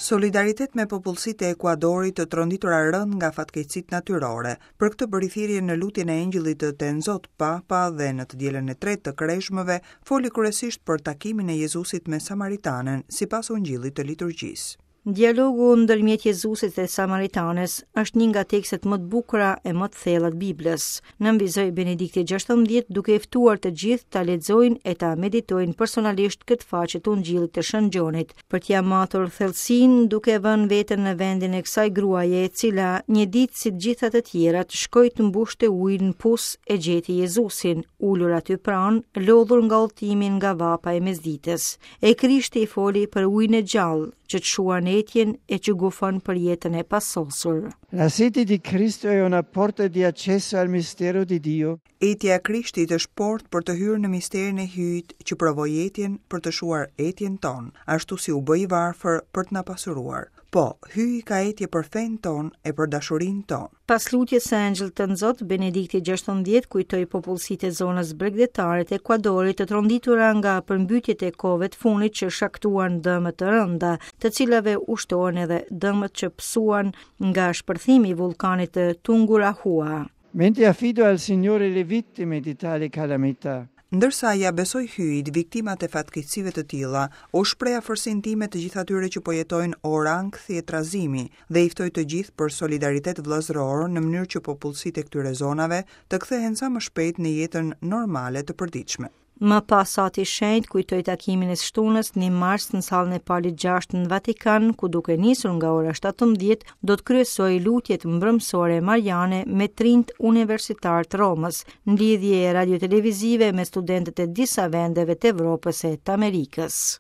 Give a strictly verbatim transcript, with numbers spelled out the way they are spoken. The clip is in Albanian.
Solidaritet me popullsitë e Ekuadorit të tronditura rënd nga fatkeqësitë natyrore. Për këtë bëri thirrje në lutjen e Engjëllit të Tenzot Papa dhe në të dielën e tretë të Kreshmëve foli kryesisht për takimin e Jezusit me Samaritanen, sipas Ungjillit të liturgjisë. Dialogu ndërmjet Jezusit dhe Samaritanes është një nga tekstet më të bukura e më të thella të Biblës. Nënvizoi Benedikti gjashtëmbëdhjetë duke i ftuar të gjithë ta lexojnë e ta meditojnë personalisht këtë faqe të Ungjillit të Shën Gjonit, për t'ia matur thellësinë duke vënë veten në vendin e kësaj gruaje, e cila një ditë si të gjitha të tjerat shkoi të mbushte ujin në pus e gjeti Jezusin, ulur aty pranë, lodhur nga udhëtimi nga vapa e mesditës. E Krishti i foli për ujin e gjallë, që të shuan etjen e që gufon për jetën e pasosur. La sete di Cristo è una porta di accesso al mistero di Dio. Etja e Krishtit është portë për të hyrë në misterin e Hyjit që provoi etjen për të shuar etjen tonë, ashtu si u bë i varfër për të na pasuruar. Po, Hyji ka etje për fenë tonë e për dashurinë tonë. Pas lutjes së Engjëllit të Nzot, Benedikti gjashtëmbëdhjetë kujtoi popullsitë e zonës bregdetare të Ekuadorit të tronditura nga përmbytjet e kohëve të fundit që shkaktuan dëme të rënda, të cilave u shtohen edhe dëmet që pësuan nga shpërthimi i vullkanit të Tungurahua. Mentre affido al Signore le vittime di tali calamità. Ndërsa ja besoj Hyjit viktimat e fatkeqësive të tilla, u shpreh afërsinë time të gjithë atyre që po jetojnë orë ankthi e trazimi dhe i ftoj të gjithë për solidaritet vëllazëror në mënyrë që popullsitë e këtyre zonave të kthehen sa më shpejt në jetën normale të përditshme. Më pas Ati Shenjt kujtoi takimin e shtunës një mars në sallën e Palit gjashtë në Vatikan, ku duke nisur nga ora shtatëmbëdhjetë do të kryesojë lutjet mbrëmsore mariane me trinjt universitar të Romës, në lidhje radiotelevizive me studentët e disa vendeve të Evropës e të Amerikës.